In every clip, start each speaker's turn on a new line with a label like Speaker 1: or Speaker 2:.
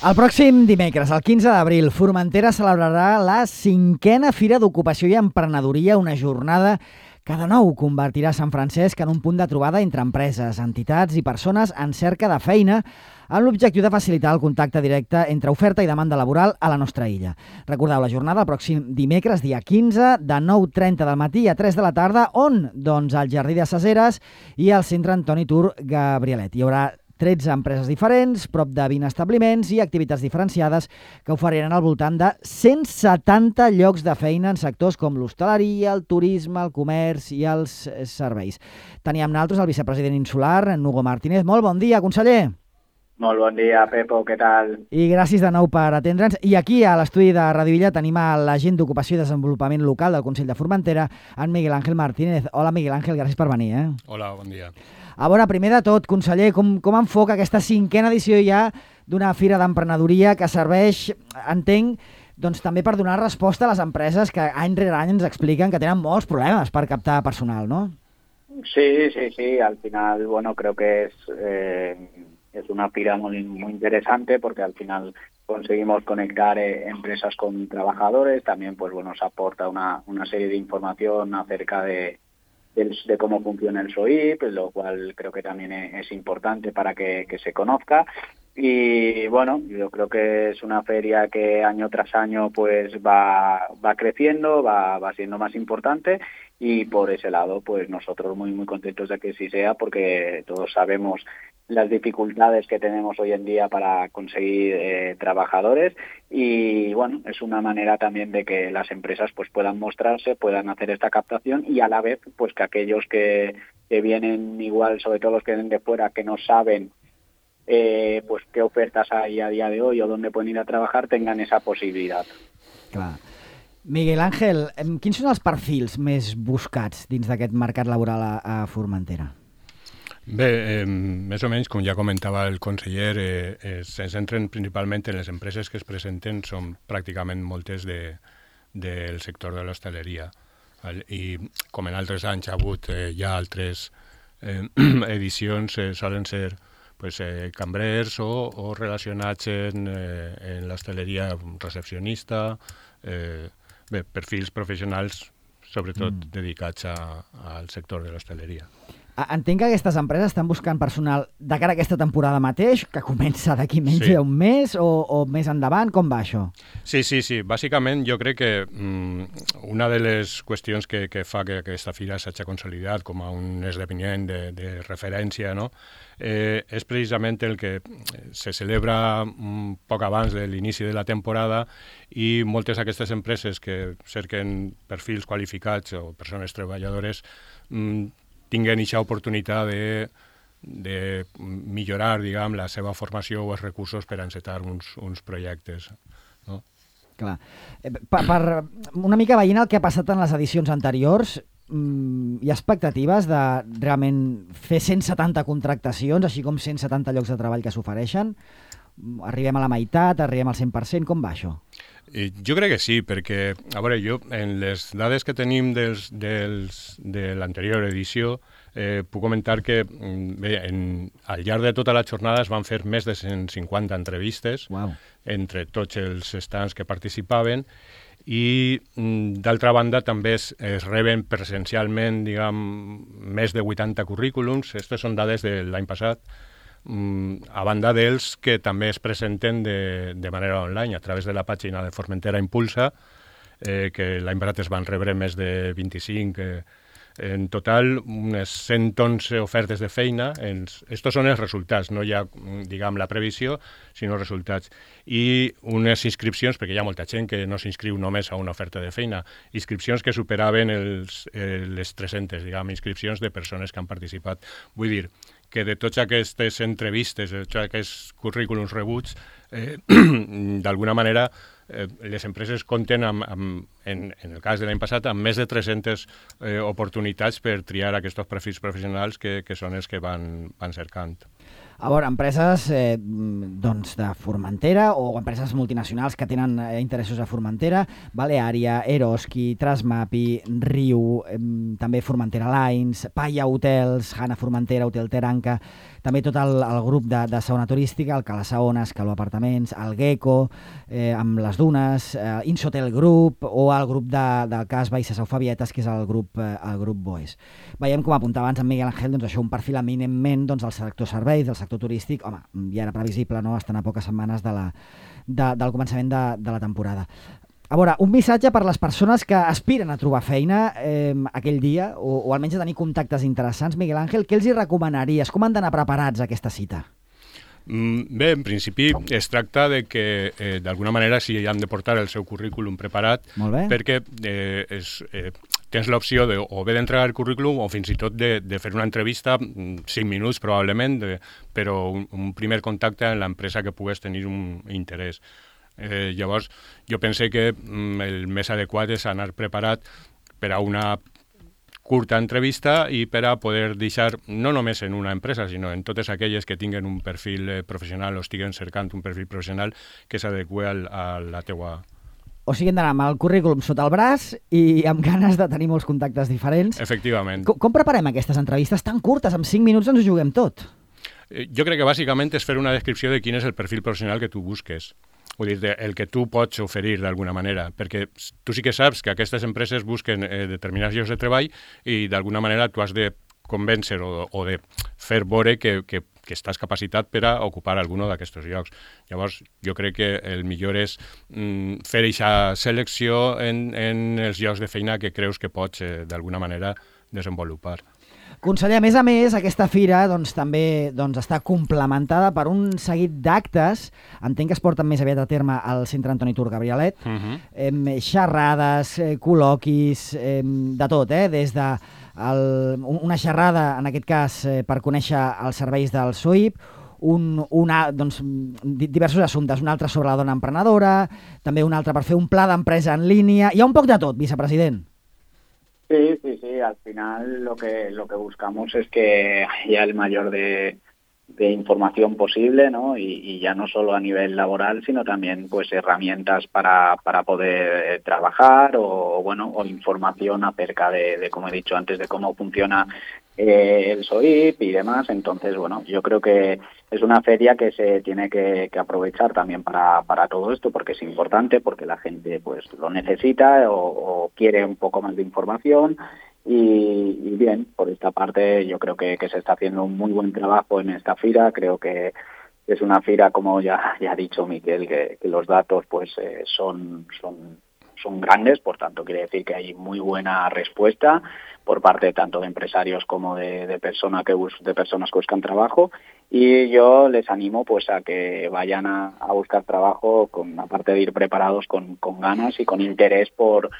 Speaker 1: El pròxim dimecres, el 15 d'abril, Formentera celebrarà la 5a Fira d'Ocupació i Emprenedoria, una jornada que de nou convertirà Sant Francesc en un punt de trobada entre empreses, entitats i persones en cerca de feina, amb l'objectiu de facilitar el contacte directe entre oferta i demanda laboral a la nostra illa. Recordeu la jornada el pròxim dimecres, dia 15, de 9:30 del matí a 3 de la tarda, on? Doncs al Jardí de Saseres i al Centre Antoni Tur Gabrielet. Hi haurà 13 empreses diferents, prop de 20 establiments i activitats diferenciades que oferiran al voltant de 170 llocs de feina en sectors com l'hostaleria, el turisme, el comerç i els serveis. Teníem nosaltres el vicepresident insular, en Hugo Martínez. Molt bon dia, conseller.
Speaker 2: Molt bon dia, Pepo, què tal?
Speaker 1: I gràcies de nou per atendre'ns. I aquí, a l'estudi de Ràdio Illa, tenim a l'agent d'Ocupació i Desenvolupament Local del Consell de Formentera, en Miguel Ángel Martínez. Hola, Miguel Ángel, gràcies per venir.
Speaker 3: Hola, bon dia.
Speaker 1: A veure, primer de tot, conseller, com enfoca aquesta 5a edició ja d'una fira d'emprenedoria que serveix, entenc, doncs també per donar resposta a les empreses que any rere any ens expliquen que tenen molts problemes per captar personal, ¿no?
Speaker 2: Sí, al final, bueno, creo que es una fira muy interesante porque al final conseguimos conectar empresas con trabajadores, también pues bueno, nos aporta una serie de información acerca de cómo funciona el SOIP, lo cual creo que también es importante para que se conozca. Y bueno, yo creo que es una feria que año tras año pues va creciendo, va siendo más importante, y por ese lado pues nosotros muy contentos de que sí sea, porque todos sabemos las dificultades que tenemos hoy en día para conseguir trabajadores, y bueno, es una manera también de que las empresas pues puedan mostrarse, puedan hacer esta captación, y a la vez pues que aquellos que vienen igual, sobre todo los que vienen de fuera, que no saben pues qué ofertas hay a día de hoy o dónde pueden ir a trabajar, tengan esa possibilitat.
Speaker 1: Clar. Miguel Ángel, quins són els perfils més buscats dins d'aquest mercat laboral a Formentera?
Speaker 3: Bé, més o menys, com ja comentava el conseller, se centren principalment en les empreses que es presenten, són pràcticament moltes del sector de l'hostaleria. I com en altres anys ha hagut ja altres edicions, solen ser cambrers o relacionats en l'hostaleria, recepcionista, perfils professionals, sobretot dedicats al sector de l'hostaleria.
Speaker 1: Entenc que aquestes empreses estan buscant personal de cara a aquesta temporada mateix, que comença d'aquí menys d'un mes o més endavant. Com va això?
Speaker 3: Sí. Bàsicament jo crec que una de les qüestions que fa que aquesta fira s'hagi consolidat com a un esdeveniment de referència, no? És precisament el que se celebra poc abans de l'inici de la temporada, i moltes d'aquestes empreses que cerquen perfils qualificats o persones treballadores tinguen aquesta oportunitat de millorar, diguem, la seva formació o els recursos per encetar uns projectes, no?
Speaker 1: Clar. Per una mica veient el que ha passat en les edicions anteriors, hi ha expectatives de realment fer 170 contractacions, així com 170 llocs de treball que s'ofereixen? Arribem a la meitat, arribem al 100%, com va això?
Speaker 3: Jo crec que sí, perquè, a veure, jo, en les dades que tenim de l'anterior edició, puc comentar que al llarg de tota la jornada es van fer més de 150 entrevistes entre tots els stands que participaven, i d'altra banda també es reben presencialment, diguem, més de 80 currículums. Aquestes són dades de l'any passat, a banda dels que també es presenten de manera online a través de la pàgina de Formentera Impulsa, que l'any passat es van rebre més de 25, en total unes 111 ofertes de feina. Estos són els resultats, no hi ha, diguem, la previsió, sinó resultats. I unes inscripcions, perquè hi ha molta gent que no s'inscriu només a una oferta de feina, inscripcions que superaven les 300, diguem, inscripcions de persones que han participat. Vull dir que de totes aquestes entrevistes, de tots aquests currículums rebuts, d'alguna manera les empreses compten, en el cas de l'any passat, amb més de 300 oportunitats per triar aquests perfils professionals que són els que van cercant.
Speaker 1: A veure, empreses doncs de Formentera o empreses multinacionals que tenen interessos a Formentera, Baleària, Eroski, Trasmapi, Riu, també Formentera Lines, Paya Hotels, Hanna Formentera, Hotel Teranca, també tot el grup de segona turística, el Calasaones, Caló Apartaments, el Gecko, amb les Dunes, Insotel Group o el grup del cas Baixes Eufabietes, que és el grup Boes. Veiem, com apuntava abans en Miguel Ángel, doncs això, un perfil eminentment del sector serveis, del sector turístic. Home, ja era previsible, no?, estan a poques setmanes del començament de la temporada. A veure, un missatge per les persones que aspiren a trobar feina aquell dia, o almenys a tenir contactes interessants. Miguel Ángel, què els hi recomanaries? Com han d'anar preparats a aquesta cita?
Speaker 3: Bé, en principi es tracta de que d'alguna manera si han de portar el seu currículum preparat, perquè tens l'opció de o bé d'entregar el currículum o fins i tot de fer una entrevista, 5 minuts probablement, però un primer contacte amb l'empresa que pugues tenir un interès. Llavors, jo pense que el més adequat és anar preparat per a una curta entrevista i per a poder deixar, no només en una empresa, sinó en totes aquelles que tinguen un perfil professional o estiguen cercant un perfil professional que s'adeqüi a la teua...
Speaker 1: O sigui, hem d'anar amb el currículum sota el braç i amb ganes de tenir molts contactes diferents.
Speaker 3: Efectivament.
Speaker 1: Com preparem aquestes entrevistes tan curtes? En 5 minuts ens ho juguem tot.
Speaker 3: Jo crec que bàsicament és fer una descripció de quin és el perfil professional que tu busques. Vull dir, el que tu pots oferir d'alguna manera, perquè tu sí que saps que aquestes empreses busquen determinats llocs de treball i d'alguna manera tu has de convèncer o de fer veure que estàs capacitat per a ocupar algun d'aquests llocs. Llavors, jo crec que el millor és fer aquesta selecció en els llocs de feina que creus que pots d'alguna manera desenvolupar.
Speaker 1: Conseller, a més, aquesta fira també està complementada per un seguit d'actes, entenc que es porten més aviat a terme al Centre Antoni Tur Gabrielet, xerrades, col·loquis, de tot, des de una xerrada, en aquest cas, per conèixer els serveis del SOIP, diversos assumptes, un altre sobre la dona emprenedora, també un altre per fer un pla d'empresa en línia. Hi ha un poc de tot, vicepresident.
Speaker 2: Sí, al final lo que buscamos es que haya el mayor de información posible, ¿no? Y ya no solo a nivel laboral, sino también pues herramientas para poder trabajar o información acerca de, como he dicho antes, de cómo funciona el SOIP y demás. Entonces, yo creo que es una feria que se tiene que aprovechar también para todo esto, porque es importante, porque la gente pues lo necesita o quiere un poco más de información. Y bien, por esta parte yo creo que se está haciendo un muy buen trabajo en esta fira. Creo que es una fira, como ya ha dicho Miquel, que los datos pues son grandes, por tanto quiere decir que hay muy buena respuesta por parte tanto de empresarios como de personas que buscan trabajo, y yo les animo pues a que vayan a buscar trabajo, aparte de ir preparados con ganas y con interés por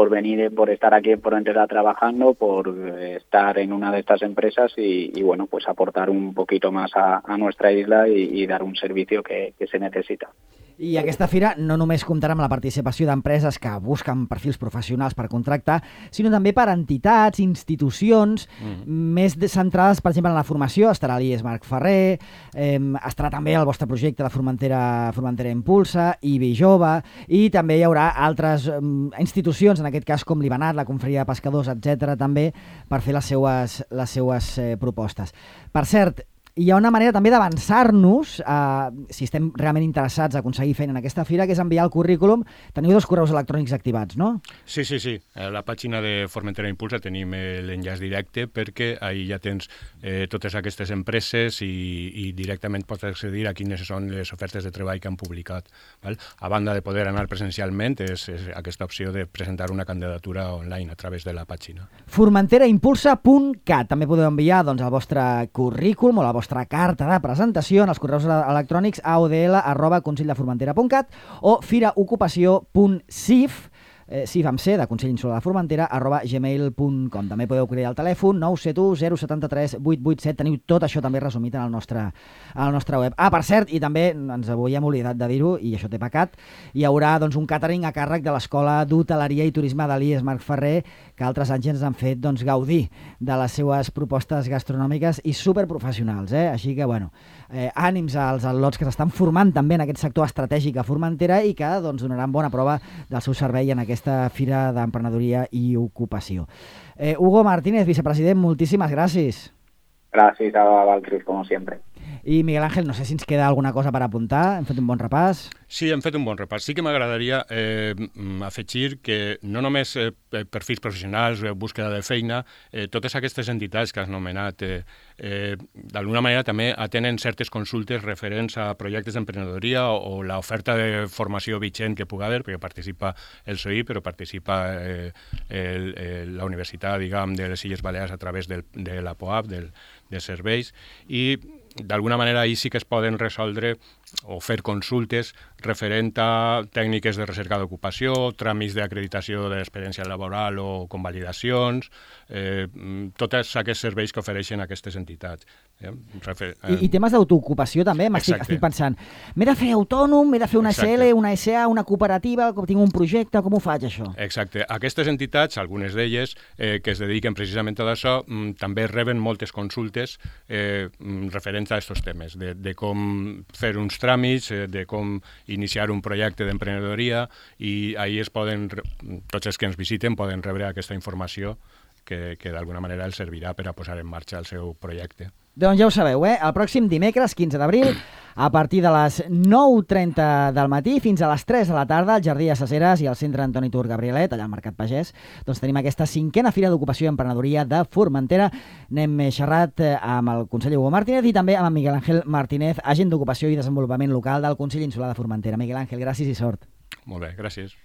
Speaker 2: venir, por estar aquí en Formentera trabajando, por estar en una de estas empresas y pues aportar un poquito más a nuestra isla y dar un servicio que se necesita.
Speaker 1: I aquesta fira no només comptarà amb la participació d'empreses que busquen perfils professionals per contractar, sinó també per entitats, institucions més centrades, per exemple, en la formació. Estarà l'IES Marc Ferrer, estarà també el vostre projecte de Formentera Impulsa, IBI Jove, i també hi haurà altres institucions, en aquest cas com l'Ibanat, la Confraria de Pescadors, etc., també per fer les seues propostes. Per cert, hi ha una manera també d'avançar-nos, si estem realment interessats a aconseguir feina en aquesta fira, que és enviar el currículum. Teniu 2 correus electrònics activats, no? Sí.
Speaker 3: A la pàgina de Formentera Impulsa tenim l'enllaç directe, perquè ahí ja tens totes aquestes empreses i directament pots accedir a quines són les ofertes de treball que han publicat. A banda de poder anar presencialment, és aquesta opció de presentar una candidatura online a través de la pàgina.
Speaker 1: formenteraimpulsa.cat. També podeu enviar el vostre currículum o la vostra carta de presentació en els correus electrònics aodl@conselldefformentera.cat o firaocupació.cif sí, vam ser, de Consell Insular de Formentera, @gmail.com. També podeu cridar al telèfon 971 073 887. Teniu tot això també resumit en el nostre web. Per cert, i també ens havíem oblidat de dir-ho, i això té pecat, hi haurà doncs, un càtering a càrrec de l'Escola d'Hoteleria i Turisme de l'IES Marc Ferrer, que altres anys ens han fet gaudir de les seues propostes gastronòmiques i superprofessionals. Així que, ànims als al·lots que s'estan formant també en aquest sector estratègic a Formentera i que donaran bona prova del seu servei en aquesta Fira d'Emprenedoria i Ocupació. Hugo Martínez, vicepresident, moltíssimes gràcies.
Speaker 2: Gràcies a vosaltres, com sempre.
Speaker 1: I Miguel Ángel, no sé si ens queda alguna cosa per apuntar. Hem fet un bon repàs.
Speaker 3: Sí, hem fet un bon repàs. Sí que m'agradaria afegir que no només perfils professionals, búsqueda de feina, totes aquestes entitats que has anomenat, d'alguna manera també atenen certes consultes referents a projectes d'emprenedoria o l'oferta de formació vigent que pugui haver, perquè participa el SOI, però participa la Universitat, de les Illes Balears a través de la POAP, dels serveis, i d'alguna manera ahir sí que es poden resoldre o fer consultes referent a tècniques de recerca d'ocupació, tràmits d'acreditació de l'experiència laboral o convalidacions, tots aquests serveis que ofereixen aquestes entitats.
Speaker 1: I temes d'autoocupació també, estic pensant, m'he de fer autònom, m'he de fer una SL, una SA, una cooperativa, tinc un projecte, com ho faig això?
Speaker 3: Exacte. Aquestes entitats, algunes d'elles, que es dediquen precisament a això, també reben moltes consultes referents a aquests temes, de com fer uns tràmits, de com iniciar un projecte d'emprenedoria, i ahir tots els que ens visiten poden rebre aquesta informació que d'alguna manera els servirà per a posar en marxa el seu projecte.
Speaker 1: Doncs ja ho sabeu, el pròxim dimecres, 15 d'abril, a partir de les 9:30 del matí fins a les 3 de la tarda, al Jardí de Saceres i al Centre Antoni Tur Gabrielet, allà al Mercat Pagès, doncs tenim aquesta 5a Fira d'Ocupació i Emprenedoria de Formentera. N'hem xerrat amb el conseller Hugo Martínez i també amb Miguel Ángel Martínez, agent d'Ocupació i Desenvolupament Local del Consell Insular de Formentera. Miguel Ángel, gràcies i sort.
Speaker 3: Molt bé, gràcies.